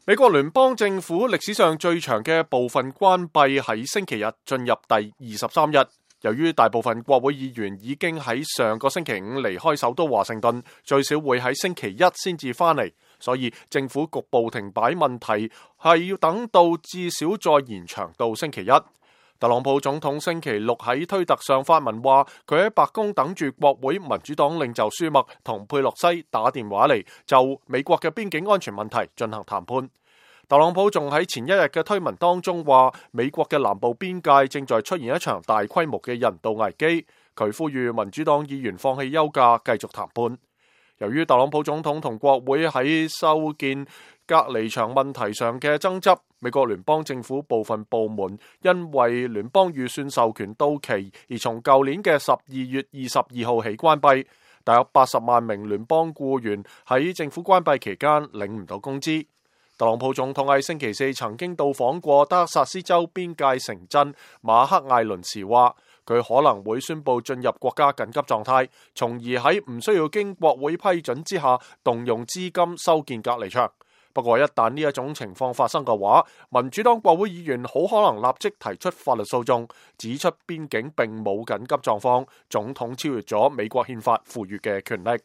美國聯邦政府歷史上最長嘅部分關閉喺星期日進入第23日。由於大部分國會議員已經喺上個星期五離開首都華盛頓，最少會喺星期一先至返嚟，所以政府局部停擺問題係要等到至少再延長到星期一。特朗普總統星期六喺推特上發文話，佢喺白宮等住國會民主黨領袖舒默同佩洛西打電話嚟，就美國嘅邊境安全問題進行談判。特朗普仲喺前一日嘅推文當中話，美國嘅南部邊界正在出現一場大規模嘅人道危機，佢呼籲民主黨議員放棄休假，繼續談判。由於特朗普總統同國會喺修建隔離牆問題上嘅爭執，美國聯邦政府部分部門因為聯邦預算授權到期，而從舊年嘅12月22號起關閉。大約80萬名聯邦僱員喺政府關閉期間領唔到工資。特朗普總統喺星期四曾經到訪過德克薩斯州邊界城鎮馬克艾倫時話，佢可能會宣布進入國家緊急狀態，從而喺唔需要經國會批准之下動用資金修建隔離牆。不過一旦呢一種情況發生嘅話，民主黨國會議員好可能立即提出法律訴訟，指出邊境並冇緊急狀況，總統超越咗美國憲法賦予嘅權力。